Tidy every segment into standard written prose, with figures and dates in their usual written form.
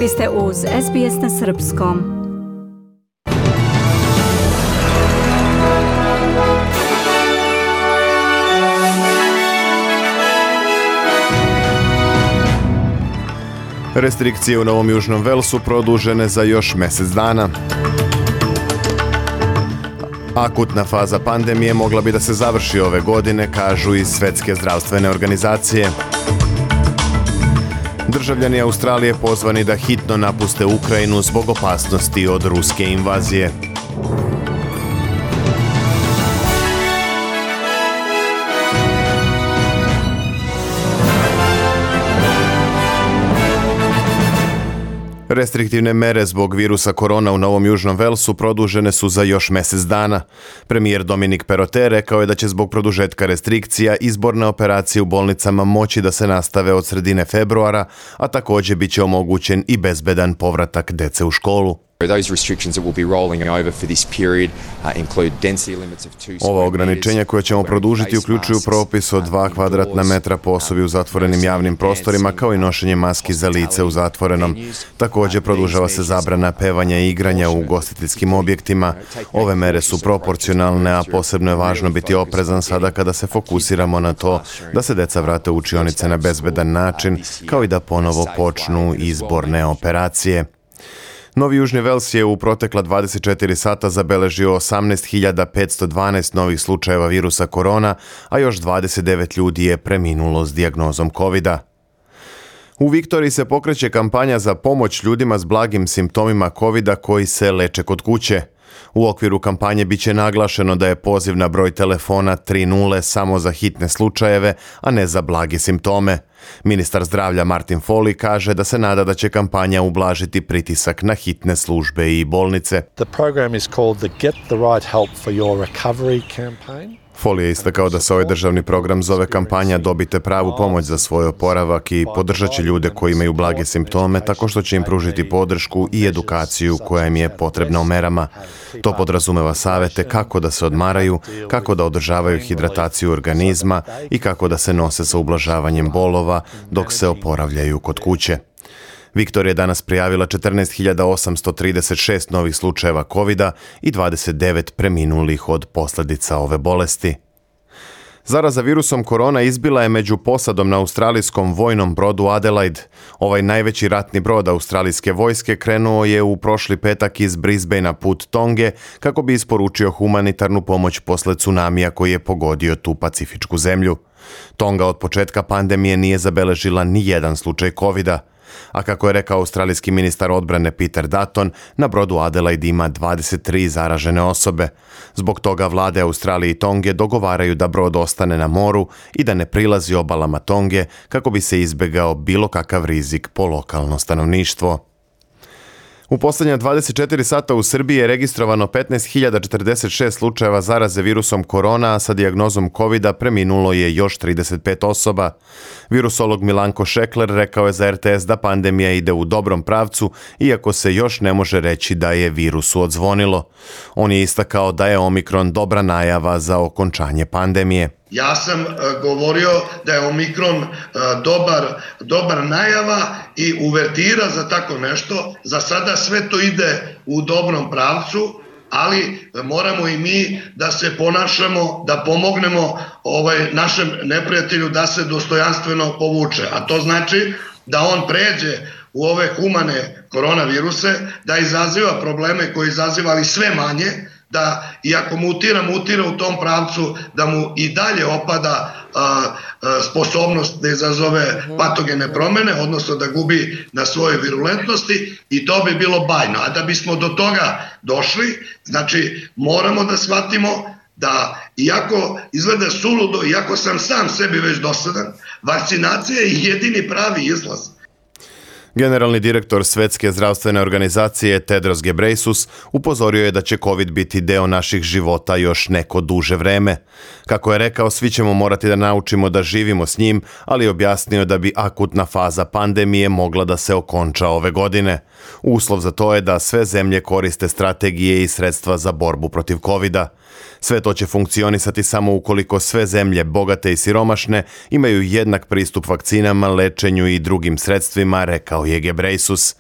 Vi ste uz SBS na srpskom. Restrikcije u Novom Južnom Velsu produžene za još mjesec dana. Akutna faza pandemije mogla bi da se završi ove godine, kažu iz Svjetske zdravstvene organizacije. Državljani Australije pozvani da hitno napuste Ukrajinu zbog opasnosti od ruske invazije. Restriktivne mere zbog virusa korona u Novom Južnom Velsu produžene su za još mjesec dana. Premijer Dominic Perrottet rekao je da će zbog produžetka restrikcija izborne operacije u bolnicama moći da se nastave od sredine februara, a također bit će omogućen i bezbedan povratak dece u školu. Ova ograničenja koja ćemo produžiti uključuju propis od 2 kvadratna metra po osobi u zatvorenim javnim prostorima, kao i nošenje maski za lice u zatvorenom. Također produžava se zabrana pevanja i igranja u ugostiteljskim objektima. Ove mere su proporcionalne, a posebno je važno biti oprezan sada kada se fokusiramo na to da se deca vrate u učionice na bezbedan način, kao i da ponovo počnu izborne operacije. Novi Južni Vels je u protekla 24 sata zabeležio 18.512 novih slučajeva virusa korona, a još 29 ljudi je preminulo s dijagnozom COVID-a. U Viktoriji se pokreće kampanja za pomoć ljudima s blagim simptomima COVID-a koji se leče kod kuće. U okviru kampanje biće naglašeno da je poziv na broj telefona 30 samo za hitne slučajeve, a ne za blage simptome. Ministar zdravlja Martin Foley kaže da se nada da će kampanja ublažiti pritisak na hitne službe i bolnice. The program is called the Get the Right Help for Your Recovery campaign. Foley je istakao da se ovaj državni program zove kampanja Dobite pravu pomoć za svoj oporavak i podržat će ljude koji imaju blage simptome tako što će im pružiti podršku i edukaciju koja im je potrebna u merama. To podrazumeva savete kako da se odmaraju, kako da održavaju hidrataciju organizma i kako da se nose sa ublažavanjem bolova dok se oporavljaju kod kuće. Viktorija je danas prijavila 14.836 novih slučajeva COVID-a i 29 preminulih od posljedica ove bolesti. Zaraza virusom korona izbila je među posadom na australijskom vojnom brodu Adelaide. Ovaj najveći ratni brod australijske vojske krenuo je u prošli petak iz Brisbanea put Tonge kako bi isporučio humanitarnu pomoć posle tsunamija koji je pogodio tu pacifičku zemlju. Tonga od početka pandemije nije zabeležila ni jedan slučaj COVID-a. A kako je rekao australijski ministar odbrane Peter Dutton, na brodu Adelaide ima 23 zaražene osobe. Zbog toga vlade Australije i Tonge dogovaraju da brod ostane na moru i da ne prilazi obalama Tonge kako bi se izbjegao bilo kakav rizik po lokalno stanovništvo. U posljednja 24 sata u Srbiji je registrovano 15.046 slučajeva zaraze virusom korona, a sa dijagnozom COVID-a preminulo je još 35 osoba. Virusolog Milanko Šekler rekao je za RTS da pandemija ide u dobrom pravcu, iako se još ne može reći da je virusu odzvonilo. On je istakao da je Omikron dobra najava za okončanje pandemije. Ja sam govorio da je Omikron dobar najava i uvertira za tako nešto. Za sada sve to ide u dobrom pravcu, ali moramo i mi da se ponašamo, da pomognemo našem neprijatelju da se dostojanstveno povuče. A to znači da on pređe u ove humane koronaviruse, da izaziva probleme koje izaziva, ali sve manje, da iako mutira u tom pravcu, da mu i dalje opada sposobnost da izazove patogene promjene, odnosno da gubi na svojoj virulentnosti, i to bi bilo bajno. A da bismo do toga došli, znači moramo da shvatimo da iako izgleda suludo, iako sam sebi već dosadan, vakcinacija je jedini pravi izlaz. Generalni direktor Svjetske zdravstvene organizacije Tedros Ghebreyesus upozorio je da će COVID biti deo naših života još neko duže vreme. Kako je rekao, svi ćemo morati da naučimo da živimo s njim, ali objasnio da bi akutna faza pandemije mogla da se okonča ove godine. Uslov za to je da sve zemlje koriste strategije i sredstva za borbu protiv COVID-a. Sve to će funkcionisati samo ukoliko sve zemlje, bogate i siromašne, imaju jednak pristup vakcinama, lečenju i drugim sredstvima, rekao rekao je Gebreyesus.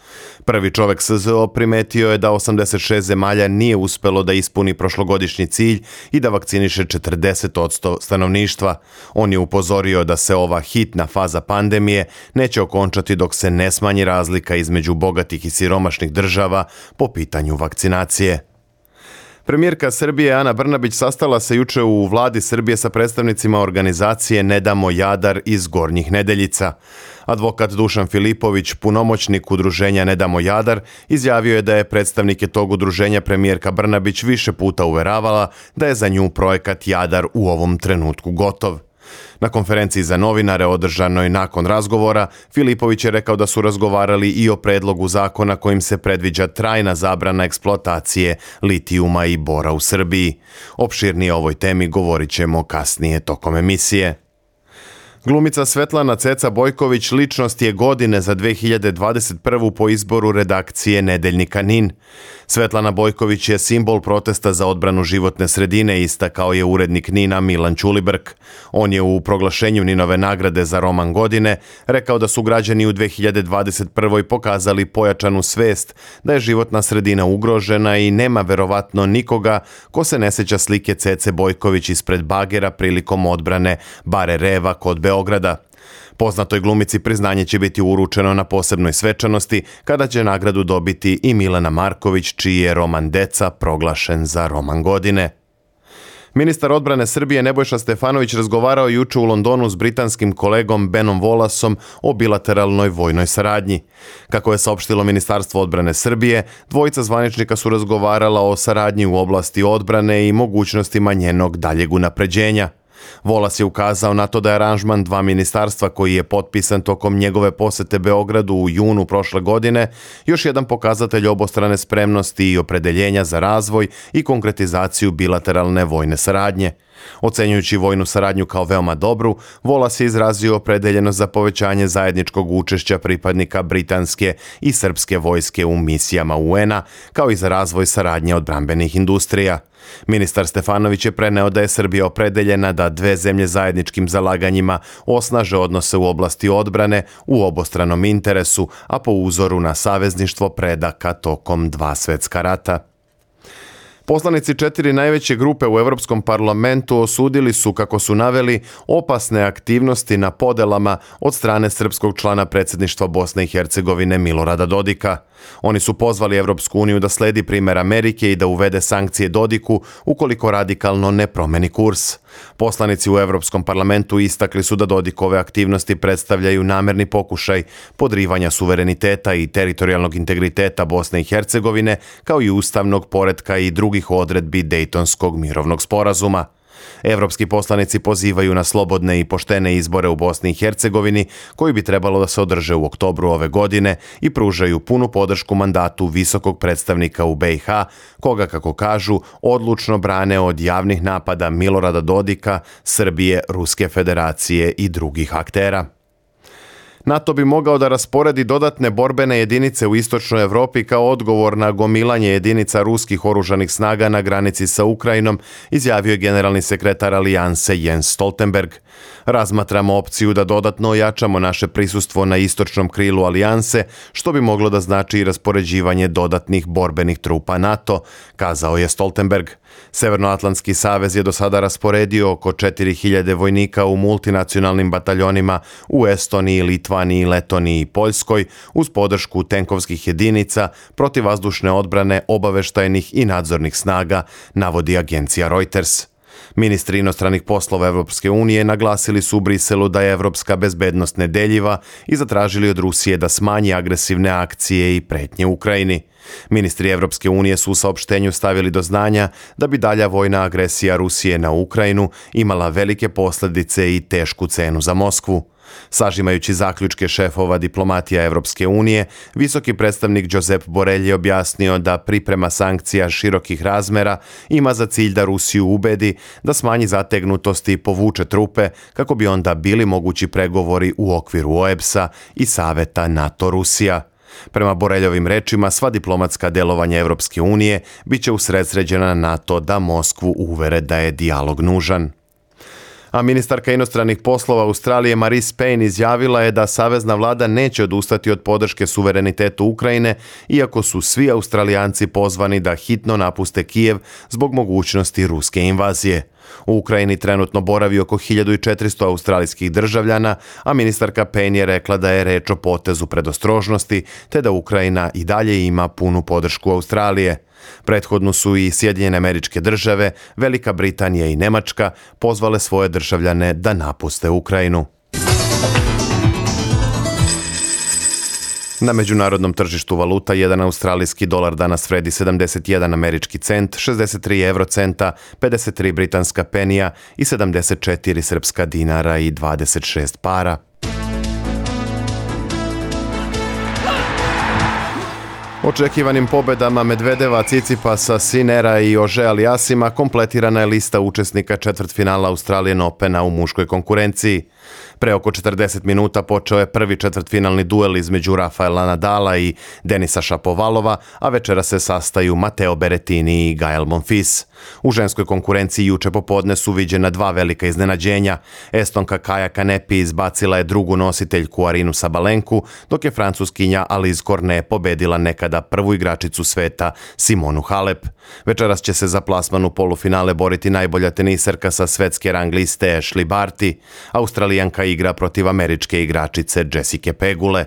Prvi čovek SZO primetio je da 86 zemalja nije uspelo da ispuni prošlogodišnji cilj i da vakciniše 40% stanovništva. On je upozorio da se ova hitna faza pandemije neće okončati dok se ne smanji razlika između bogatih i siromašnih država po pitanju vakcinacije. Premijerka Srbije Ana Brnabić sastala se juče u vladi Srbije sa predstavnicima organizacije Ne damo Jadar iz Gornjih Nedeljica. Advokat Dušan Filipović, punomoćnik udruženja Ne damo Jadar, izjavio je da je predstavnike tog udruženja premijerka Brnabić više puta uveravala da je za nju projekat Jadar u ovom trenutku gotov. Na konferenciji za novinare održanoj nakon razgovora, Filipović je rekao da su razgovarali i o predlogu zakona kojim se predviđa trajna zabrana eksploatacije litijuma i bora u Srbiji. Opširnije o ovoj temi govorit ćemo kasnije tokom emisije. Glumica Svetlana Ceca Bojković ličnost je godine za 2021. po izboru redakcije Nedeljnika NIN. Svetlana Bojković je simbol protesta za odbranu životne sredine, istakao je urednik NIN-a Milan Ćulibrk. On je u proglašenju NIN-ove nagrade za roman godine rekao da su građani u 2021. pokazali pojačanu svest da je životna sredina ugrožena i nema verovatno nikoga ko se ne seća slike Cece Bojković ispred bagera prilikom odbrane Bare Reva kod Beograda. Poznatoj glumici priznanje će biti uručeno na posebnoj svečanosti kada će nagradu dobiti i Milena Marković, čiji je roman Deca proglašen za roman godine. Ministar odbrane Srbije Nebojša Stefanović razgovarao juče u Londonu s britanskim kolegom Benom Wallaceom o bilateralnoj vojnoj saradnji. Kako je saopštilo Ministarstvo odbrane Srbije, dvojica zvaničnika su razgovarala o saradnji u oblasti odbrane i mogućnostima njenog daljeg unapređenja. Wallace je ukazao na to da je aranžman dva ministarstva koji je potpisan tokom njegove posete Beogradu u junu prošle godine još jedan pokazatelj obostrane spremnosti i opredeljenja za razvoj i konkretizaciju bilateralne vojne saradnje. Ocenjujući vojnu saradnju kao veoma dobru, Wallace je izrazio opredeljenost za povećanje zajedničkog učešća pripadnika britanske i srpske vojske u misijama UN-a, kao i za razvoj saradnje odbrambenih industrija. Ministar Stefanović je preneo da je Srbija opredeljena da dve zemlje zajedničkim zalaganjima osnaže odnose u oblasti odbrane u obostranom interesu, a po uzoru na savezništvo predaka tokom dva svetska rata. Poslanici 4 najveće grupe u Evropskom parlamentu osudili su, kako su naveli, opasne aktivnosti na podelama od strane srpskog člana predsjedništva Bosne i Hercegovine Milorada Dodika. Oni su pozvali Evropsku uniju da sledi primer Amerike i da uvede sankcije Dodiku ukoliko radikalno ne promeni kurs. Poslanici u Evropskom parlamentu istakli su da Dodikove aktivnosti predstavljaju namerni pokušaj podrivanja suvereniteta i teritorijalnog integriteta Bosne i Hercegovine, kao i ustavnog poretka i drugih odredbi Dejtonskog mirovnog sporazuma. Evropski poslanici pozivaju na slobodne i poštene izbore u Bosni i Hercegovini, koji bi trebalo da se održe u oktobru ove godine, i pružaju punu podršku mandatu visokog predstavnika u BiH, koga, kako kažu, odlučno brane od javnih napada Milorada Dodika, Srbije, Ruske federacije i drugih aktera. NATO bi mogao da rasporedi dodatne borbene jedinice u istočnoj Evropi kao odgovor na gomilanje jedinica ruskih oružanih snaga na granici sa Ukrajinom, izjavio je generalni sekretar Alijanse Jens Stoltenberg. Razmatramo opciju da dodatno ojačamo naše prisustvo na istočnom krilu Alijanse, što bi moglo da znači i raspoređivanje dodatnih borbenih trupa NATO, kazao je Stoltenberg. Severnoatlantski savez je do sada rasporedio oko 4000 vojnika u multinacionalnim bataljonima u Estoniji, Litvaniji, Letoniji i Poljskoj uz podršku tenkovskih jedinica, protivvazdušne odbrane, obaveštajnih i nadzornih snaga, navodi agencija Reuters. Ministri inostranih poslova Evropske unije naglasili su u Briselu da je evropska bezbednost nedeljiva i zatražili od Rusije da smanji agresivne akcije i pretnje Ukrajini. Ministri Evropske unije su u saopštenju stavili do znanja da bi dalja vojna agresija Rusije na Ukrajinu imala velike posljedice i tešku cenu za Moskvu. Sažimajući zaključke šefova diplomatija Evropske unije, visoki predstavnik Josep Borrell je objasnio da priprema sankcija širokih razmera ima za cilj da Rusiju ubedi da smanji zategnutost i povuče trupe kako bi onda bili mogući pregovori u okviru OEBS-a i Saveta NATO-Rusija. Prema Borreljovim rečima, sva diplomatska delovanja Evropske unije biće usredsređena na NATO da Moskvu uvere da je dijalog nužan. A ministarka inostranih poslova Australije Marise Payne izjavila je da savezna vlada neće odustati od podrške suverenitetu Ukrajine, iako su svi Australijanci pozvani da hitno napuste Kijev zbog mogućnosti ruske invazije. U Ukrajini trenutno boravi oko 1400 australijskih državljana, a ministarka Payne je rekla da je reč o potezu predostrožnosti, te da Ukrajina i dalje ima punu podršku Australije. Prethodno su i Sjedinjene Američke Države, Velika Britanija i Nemačka pozvale svoje državljane da napuste Ukrajinu. Na međunarodnom tržištu valuta jedan australijski dolar danas vredi 71 američki cent, 63 eurocenta, 53 britanska penija i 74 srpska dinara i 26 para. Očekivanim pobedama Medvedeva, Cicipasa, Sinera i Ože Aliasima kompletirana je lista učesnika četvrtfinala Australian Opena u muškoj konkurenciji. Pre oko 40 minuta počeo je prvi četvrtfinalni duel između Rafaela Nadala i Denisa Šapovalova, a večera se sastaju Matteo Berrettini i Gael Monfils. U ženskoj konkurenciji juče popodne su viđena dva velika iznenađenja. Estonka Kaja Kanepi izbacila je drugu nositeljku Arinu Sabalenku, dok je francuskinja Alizé Cornet pobedila nekada prvu igračicu sveta Simonu Halep. Večeras će se za plasman u polufinale boriti najbolja teniserka sa svetske rang liste Ashleigh Barty. Australijanka igra protiv američke igračice Jessica Pegule.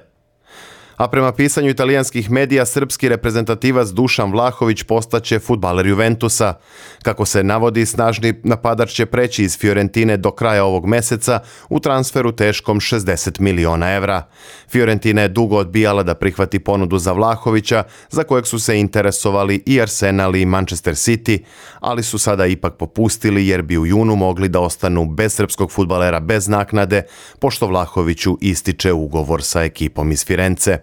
A prema pisanju italijanskih medija, srpski reprezentativac Dušan Vlahović postaće fudbaler Juventusa. Kako se navodi, snažni napadač će preći iz Fiorentine do kraja ovog meseca u transferu teškom 60 miliona evra. Fiorentina je dugo odbijala da prihvati ponudu za Vlahovića, za kojeg su se interesovali i Arsenal i Manchester City, ali su sada ipak popustili jer bi u junu mogli da ostanu bez srpskog fudbalera bez naknade, pošto Vlahoviću ističe ugovor sa ekipom iz Firence.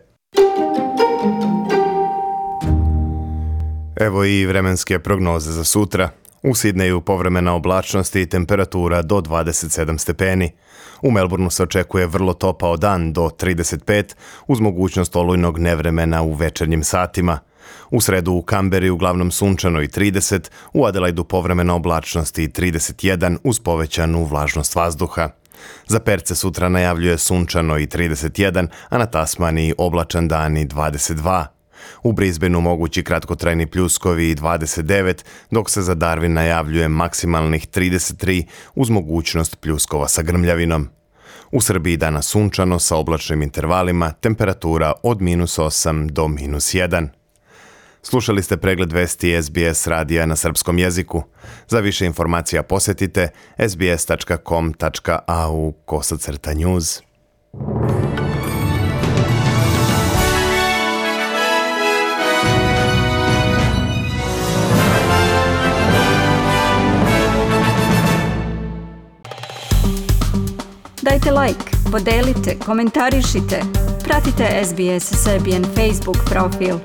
Evo i vremenske prognoze za sutra. U Sidneju povremena oblačnost i temperatura do 27 stepeni. U Melbourneu se očekuje vrlo topao dan do 35, uz mogućnost olujnog nevremena u večernjim satima. U sredu u Kamberi uglavnom sunčano i 30, u Adelaidu povremena oblačnost i 31 uz povećanu vlažnost vazduha. Za Perce sutra najavljuje sunčano i 31, a na Tasmaniji oblačan dan i 22. U Brisbaneu mogući kratkotrajni pljuskovi i 29, dok se za Darwin najavljuje maksimalnih 33 uz mogućnost pljuskova sa grmljavinom. U Srbiji danas sunčano sa oblačnim intervalima, temperatura od -8 do -1. Slušali ste pregled vesti SBS radija na srpskom jeziku. Za više informacija posjetite sbs.com.au/news. Dajte like, podelite, komentarišite. Pratite SBS Serbian Facebook profil.